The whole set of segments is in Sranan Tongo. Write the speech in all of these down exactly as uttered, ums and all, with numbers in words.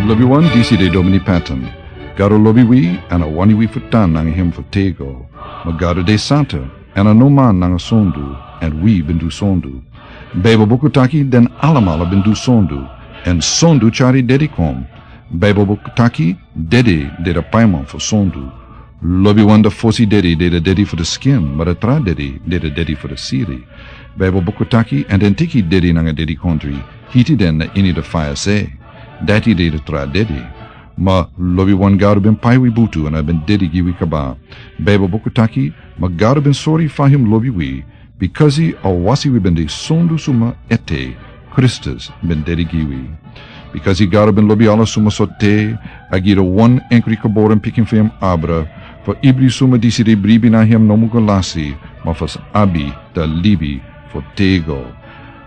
Lobiwan, disi de Domini Patton. Gado lobi wi, èn a wani wi fu tan nanga hem fu tego. Ma Gado de santa, èn a no man nanga sondu, èn wi ben du sondu. Baibel buku taki den alamala ben du sondu, èn sondu tyari dedi kon. Baibel buku taki dedi de a paiman fu sondu. Lobiwan, a fosi dedi de a dedi fu a skin, ma a tra dedi de a dedi fu a siri. Baibel buku taki, èn den teki dedi nanga dedikondri, hiti den na ini a faya sei. Dati de a tra dedi. Ma lobiwan, Gado ben pai wi butu èn a ben dedi gi wi kaba. Baibel buku taki, ma Gado ben sori fa hem lobi wi, bikasi a wasi wi ben de sondu suma ete, Kristus ben dedi gi wi. Bikasi Gado ben lobi ala suma sortu, a gi a wan enkri geboren pikin fu hem abra, fu ibri suma disi de bribi na hem no mu go lasi, ma fu sa abi a libi fu tego.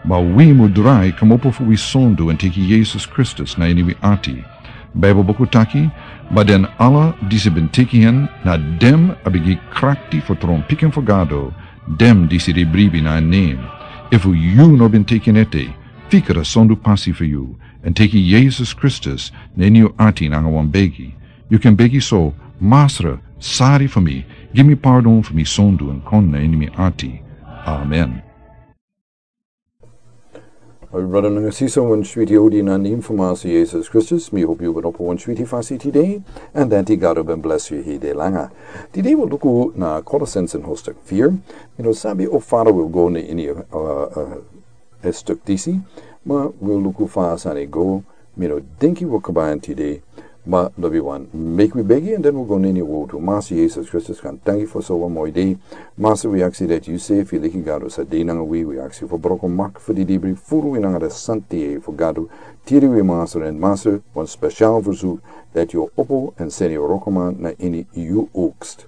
Ma wi mu drai kmopo fu wi sondu èn teki Yesus Kristus na ini wi ati. Baibel buku taki, ma den ala disi ben teki en, na den a ben gi krakti fu tron pikin fu Gado, den disi de bribi na en nen. Efu yu no ben teki en ete, fika a sondu pasi fu yu, èn teki Yesus Kristus na ini yu ati nanga wan begi. Yu kan begi so: Masra, sori fu mi, gi mi pardon fu mi sondu èn kon na ini mi ati. Amen. Brada nanga sisa, wan switi odi na nen fu Masra Yesus Kristus. Mi hopi yu ben opo wan switi fasi tide, èn dati Gado ben blesi yu heri langa. Tide wi luku na Kolosense hoofdstuk vier. Mi no sabi o fara wi go na ini, uh, uh, a stuk disi, ma wi luku fa a sani go. Mi no denki wi o kaba en tide, ma lobiwan, meki wi begi, èn den wi go na ini a wortu. Masra Yesus Kristus, kan tangi fu so wan moi dei. Masra, wi aksi dati yu sefi, leki Gado, sa de nanga wi. Wi aksi fu broko mak fu di dibri, furu wi nanga a santi fu Gado. Tiri wi, Masra, èn Masra, wan spesial verzoek dati yu o opo èn seni yu wrokoman na ini yu oogst.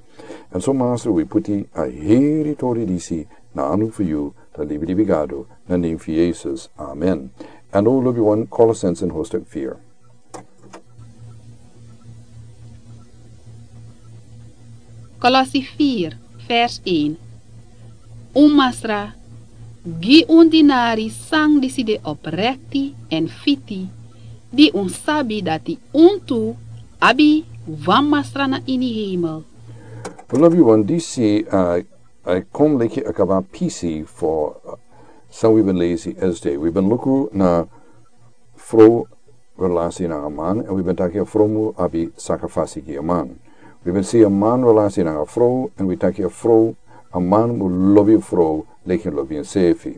Èn so, Masra, wi poti a heri tori disi na anu fu yu, a libi libi Gado, na nen fu Yesus. Amen. Èn now lobiwan, Kolosense hoofdstuk vier. Kolosi vier, vers één. Un Masra, gi un dinari san disi de oprekti èn fiti, di un sabi dati un tu abi wan Masra na ini hemel. Lobiwan, disi, uh, a kon leki a kaba pisi fu, uh, san wi ben lesi esde. Wi ben luku na frow relasi nanga man, èn wi ben taki a frow mu abi saka fasi gi a man. Wi ben si a man relasi nanga frow, èn wi taki a frow, a man mu lobi a frow leki a lobi ensefi.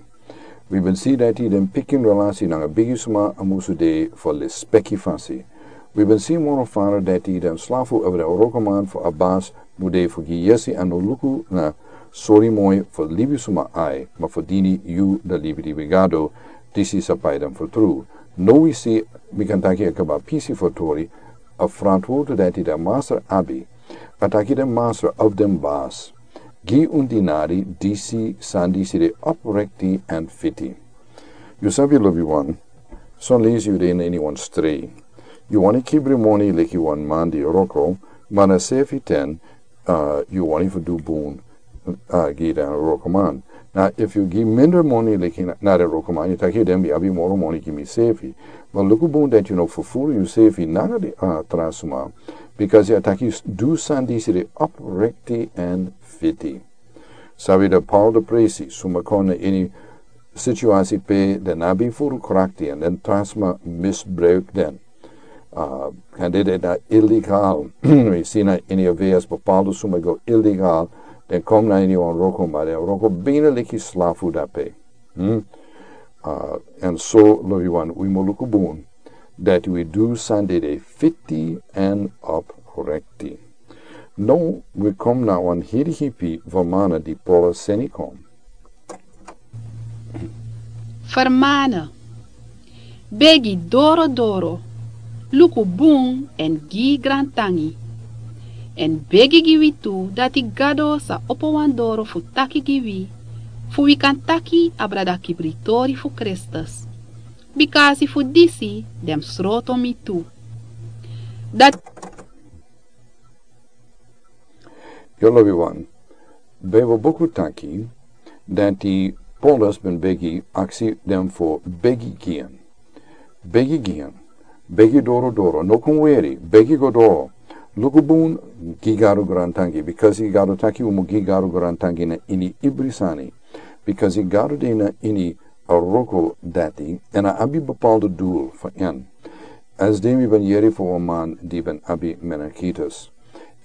Wi ben si dati den pikin relasi nanga bigi suma a musu de fu lespeki fasi. Wi ben si moro fara dati den slafu of den wrokoman fu a basi mu de fu gi yesi èn no luku na sori moi fu libi suma ai, ma fu dini yu a libi libi Gado, disi sa pai den fu tru. Now wi si, mi kan taki a kaba pisi fu tori, a frantwortu dati den Masra abi. A taki den Masra of den basi: Gi un dinari disi san disi de oprekti èn fiti. Yu sabi, lobiwan, son leisi yu de na ini wan strei. Yu wani kibri moni leki wan man di wroko, ma na sefi ten, uh, yu wani fu du bun, uh, gi den wrokoman. Na efu yu gi minder moni leki na, na den wrokoman, yu taki den ben abi moro moni gi misefi. Ma luku bun dati yu no fufuru yusefi nanga den, uh, tra suma, bikasi a taki du san disi de oprekti èn fiti. Sabi dati Paul de presi suma kon na ini situasi pe den no ben furu krakti èn den tra sma misbruik den. Uh, èn dede na illegal. Wi si na ini a vers bepaalde suma go illegal. Den kon na ini wan wroko, ma den wroko bina leki slafu dape. Hmm? Uh, èn so, lobiwan, wi mu luku bun dati wi du san dede fiti èn oprekti. Now wi kon na wan heri hipi vermana di Paul seni kon. Vermana. Begi doro doro. Luku bun èn gi grantangi. Èn begi gi wi tu dati Gado sa opo wan doro fu taki gi wi, fu wi kan taki abra dati kibri tori fu Kristus. Bikasi fu disi den sroto mi tu. Dati Yu lobiwan, Bijbel buku taki dati Paulus ben begi, aksi den fu begi gi en. Begi gi en. Begi doro doro, no kon weri, begi go doro. Luku bun, gi Gado grantangi, bikasi Gado taki un mu gi Gado grantangi na ini ibri sani. Bikasi Gado de na ini a wroko dati, èn a abi bepaalde doel fu en. Esde mi ben yere fu wan man di ben abi meningitis.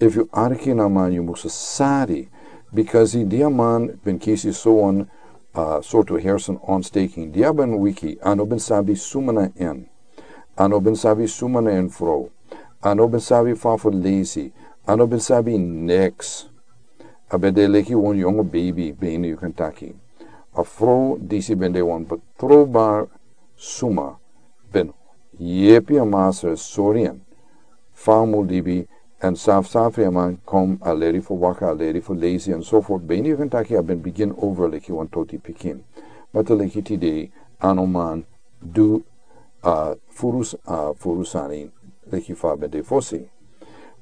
Efu yu arki na a man yu musu sari, bikasi di a man ben kisi sowan, a, sortu hersen ontsteking, di a ben wiki, a no ben sabi suma na en. A no ben sabi suma na en frow. A no ben sabi fa fu lesi. A no ben sabi niks. A ben de leki wan yongu beibi, bene yu kan taki. A frow disi ben de wan betrouwbaar suma. Ben yepi a masra sori en. Fa a mu libi, èn safsafri a man kon a leri fu waka, a leri fu lesi, èn so voort. Bene yu kan taki a ben begin over leki wan toti pikin. Ma te leki tide, a no man du, a, furu s-, a, furu sani leki fa a ben de fosi.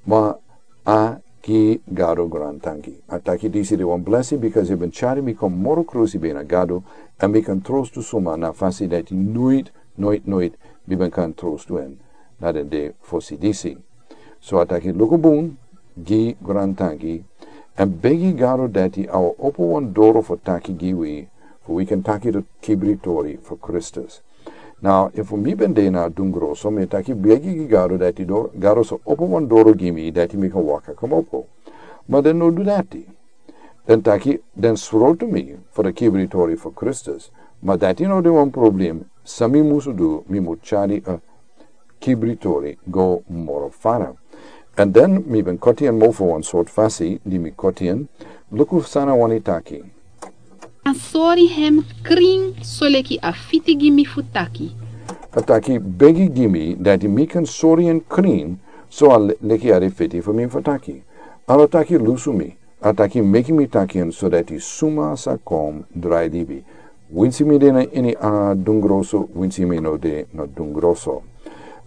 Ma a gi Gado grantangi. A taki disi de wan blesi, bikasi yu ben tyari mi kon moro krosi ben na Gado, èn mi kan trostu suma na fasi dati noit, noit, noit, mi ben kan trostu en na den de fosi disi. So a taki luku bun, gi grantangi, èn begi Gado dati a o opo wan doro fu taki gi wi, fu wi kan taki den kibri tori fu Kristus. Now, efu mi ben de na dungroso, mi taki begi gi Gado dati doro, Gado sa opo wan doro gi mi, dati mi kan waka komopo. Ma den no du dati. Den taki, den srotu mi fu den kibri tori fu Kristus. Ma dati no de wan problem, san mi musu du, mi mu tyari a kibri tori go moro fara. Èn den mi ben koti en mofo wan sortu fasi, di mi koti en, luku san a wani taki. A sori en krin, soleki a fiti gi mi fu taki. A taki begi gi mi, dati mi kan sori en krin, so a le-, leki a de fiti fu mi fu taki. A no taki lusu mi, a taki meki mi taki en, so dati suma sa kon drai libi. Winsi mi de na ini a dungroso, winsi mi no de na dungroso.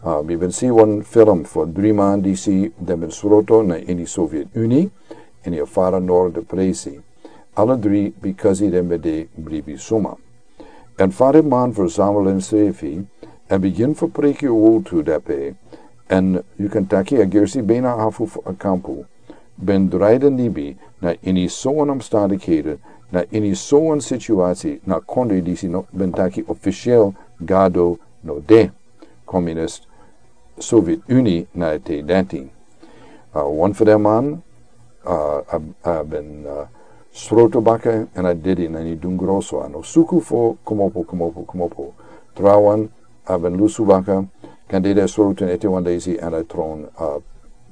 A, mi ben si wan film fu dri man disi den ben sroto na ini Soviet Unie, ini a fara Nord de presi. Ala dri, bikasi den ben de bribi suma. Èn fa den man verzamel ensrefi, èn bigin fu preki a wowtu dape, èn yu kan taki a gersi bena afu fu a kampu, ben drai den libi na ini sowan omstandighede, na ini sowan situasi, na kondre disi no, ben taki officieel Gado no de. Communist Soviet Unie na a ten dati. A, wan fu den man, a, a, a ben, a, sroto baka èn a dede na ini dungroso, a no suku fu komopo, komopo, komopo. Trawan, a ben lusu baka, kan dede sroto en ete wan leisi èn a tron, a,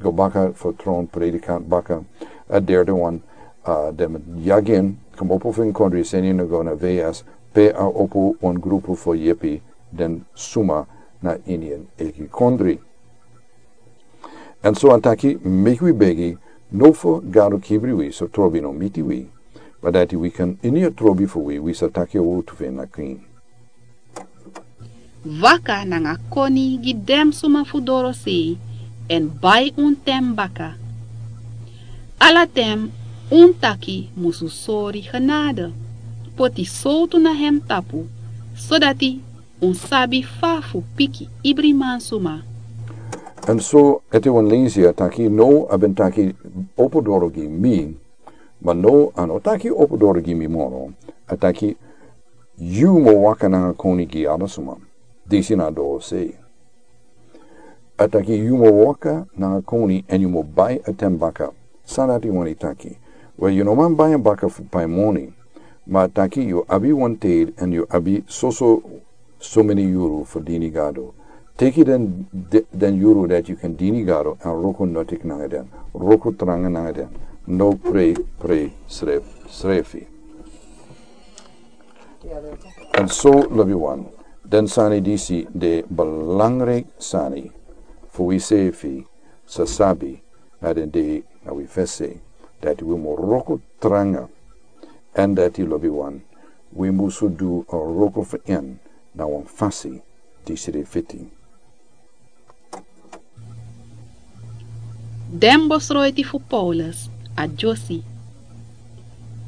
go baka fu tron predikant baka. A derde wan, a, den yagi en, komopo fu en kondre, seni en go na V S, pe a opo wan grupu fu yepi den suma na ini en eigi kondre. Èn so a taki, meki wi begi, no fu Gado kibri wi, so trobi no miti wi. Ma dati wi kan ini a trobi fu wi, wi sa taki a wowtu fu en na krin. Waka nanga koni gi den suma fu dorosei, èn bai un ten baka. Ala ten un taki musu sori genade. Poti sowtu na en tapu, sodati un sabi fa fu piki ibri mansuma. Èn so ete wan leisi a taki, now a ben taki opo doro gi mi, ma now a no taki opo doro gi mi moro, a taki yu mu waka nanga koni gi ala suma. Disi na dorosei. A taki yu mu waka nanga koni èn yu mu bai a ten baka. San dati wani taki? Wel, yu no man bai en baka fu pai moni. Ma a taki yu abi wan ten èn yu abi soso so meni yuru fu dini Gado. Teki den, de-, den yuru dati yu kan dini Gado èn wroko notik nanga den. Wroko tranga nanga den. No prei, prei sref-, srefi. Èn so lobiwan, den sani disi de belangrijk sani fu wi sefi sa sabi na den dei na wi fesi, dati wi mu wroko tranga, èn dati lobiwan, wi musu du a wroko fu en na wan fasi disi de fiti. Den bosroiti fu Paulus a dyosi.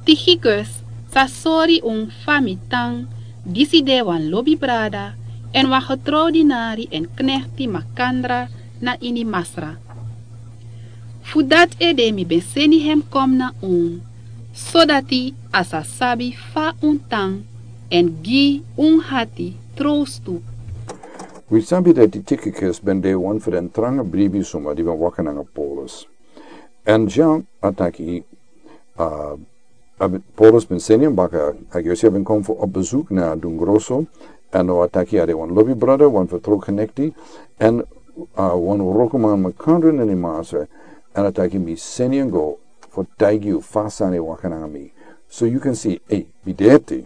Tychicus sa sori un fa mi tan, disi de wan lobi brada, èn wan getrouwdinari èn knekti makandra na ini Masra. Fu dati ede mi ben seni hem kon na unu, sodati a sa sabi fa un tan èn gi un ati trowstu. Wi sabi dati Tikikus ben de wan fu den tranga bribi suma di ben waka nanga Paulus. Èn Jean a taki, a, a ben, Paulus ben seni en baka, a gersi a ben kon fu op bezoek na Dungroso, èn now a taki a de wan lobi brada, wan fu tru knekti, èn, a, wan wrokoman makandra na ini Masra, èn a taki mi seni en go fu taigi yu fa sani e waka nanga mi. So yu kan si, ei, mi de ete,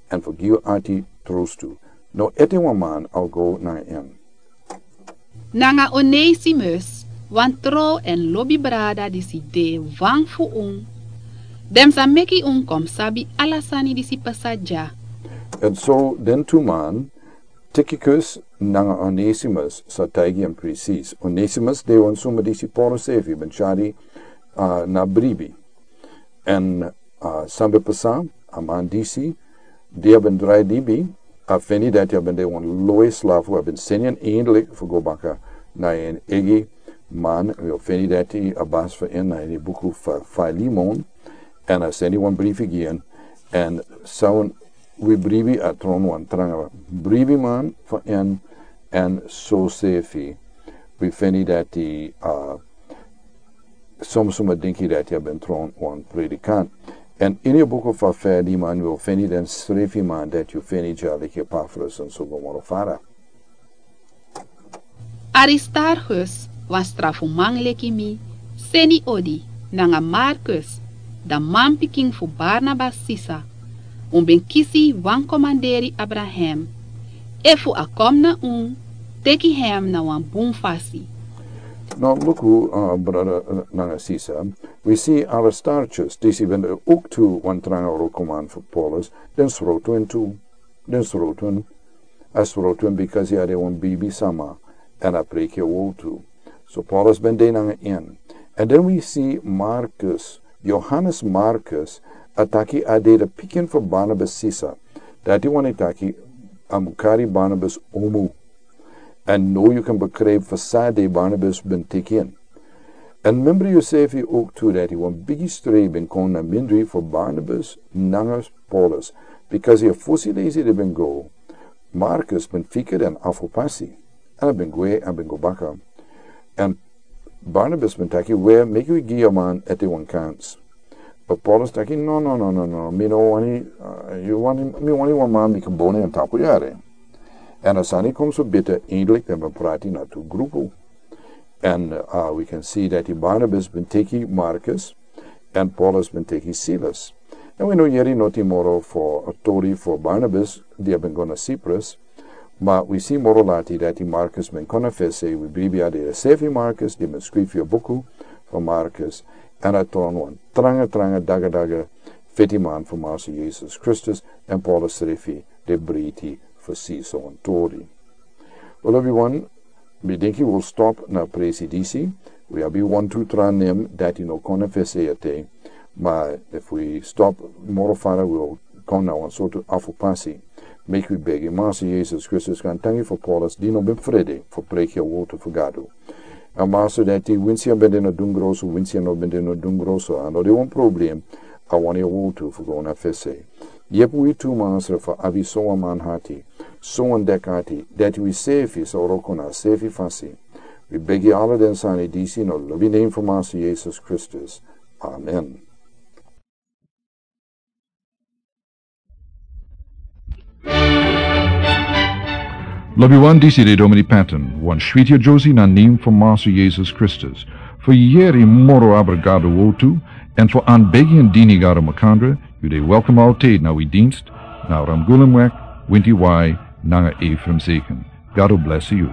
èn fu gi yu ati trowstu. Now ete wan man a o go nanga en. Nanga Onesimus, wan tru èn lobi brada disi de wan fu unu. Den sa meki unu kon sabi ala sani disi pasa dya. Èn so den tu man, Tikikus nanga Onesimus sa taigi en presis. Onesimus de wan suma disi Paulus srefi ben tyari, a, na bribi. Èn, a, san ben pasa, a man disi, di a ben drai libi, a feni dati a ben de wan lowe slafu, a ben seni en eindelijk fu go baka na en eigi man, wi o feni dati a basi fu en na ini buku fu Filemon, èn a seni wan brifi gi en, èn san wi bribi a tron wan tranga bribiman fu en, èn so srefi wi feni dati, a, soms suma dinki dati a ben tron wan predikant. Èn ini a buku fu Filemon wi o feni den srefi man dati yu feni dya leki Epafras èn so go moro fara. Aristarchus, wan strafuman leki mi, seni odi, nanga Markus, dan manpikin fu Barnabas sisa, un ben kisi wan komanderi abra hem. Efu a kon na unu, teki hem na wan bun fasi. Now luku, a, brada, a, nanga sisa, wi si Aristarchus, disi ben de ook tu wan tranga wrokoman fu Paulus, den srotu en tu. Den srotu en. A srotu en bikasi a de wan bribi sama, èn a preki a wowtu. So Paulus ben de nanga en. Èn den wi si Markus, Johannes Markus, a taki a de de pikin fu Barnabas sisa. Dati wani taki a mus kari Barnabas omu. Èn now yu kan begrijp fu san dati Barnabas ben teki en. Èn membri yusrefi ook tu dati wan bigi strei ben kon na mindri fu Barnabas nanga Paulus, bikasi a fosi leisi di ben go, Markus ben fika den afo pasi, èn a ben gwe, a ben go baka. Èn Barnabas ben taki, we, meki wi gi a man ete wan kans. But Paulus taki, no, no, no, no, no, mi no wani, a, yu wani, mi wani wan man mi kan boni en tapu yari. Èn a sani kon so bita, eindelijk den ben prati na tu grupu. Èn, a, wi kan si dati Barnabas ben teki Markus, èn Paulus ben teki Silas. Èn wi no yere noti moro fu a tori fu Barnabas, di a ben go na Cyprus, ma wi si moro lati dati Markus ben kon na fesi, wi bribi a de a srefi Markus, di ben skrifi a buku fu Markus, èn a tron wan tranga, tranga, daga, daga, fetiman fu Master Jesus Kristus, èn Paulus srefi de breiti fu si so wan tori. Wel, everyone, mi denki wi o stop na presi disi. Wi abi wantu tra nen dati no kon na fesi ete. Ma efu wi stop moro fara, wi o kon na wan sortu afo pasi. Meki wi begi Master Jesus Kristus, kan tangi fu Paulus, di no ben frede fu preki a wowtu fu Gado. A Master, dati winsi a ben de na Dungroso, winsi a no ben de na Dungroso, a no de wan problem. A wani a wowtu fu go na fesi. Yepi wi tu, Master, fu abi so wan man ati, so wan dek ati, dati wi srefi sa wroko na srefi fasi. Wi begi ala den sani disi na lobi nen fu Master Jesus Kristus. Amen. Lobiwan, disi de Domini Patton, wan switi a josi na nen fu Master Jesus Kristus. Fu yere moro abra Gado wowtu, èn fu anbegi en dini Gado makandra, yu de welkom altijd na wi dienst, na Ramgulemweg, winti wai, nanga Ephraim Zeken. Gado bless yu.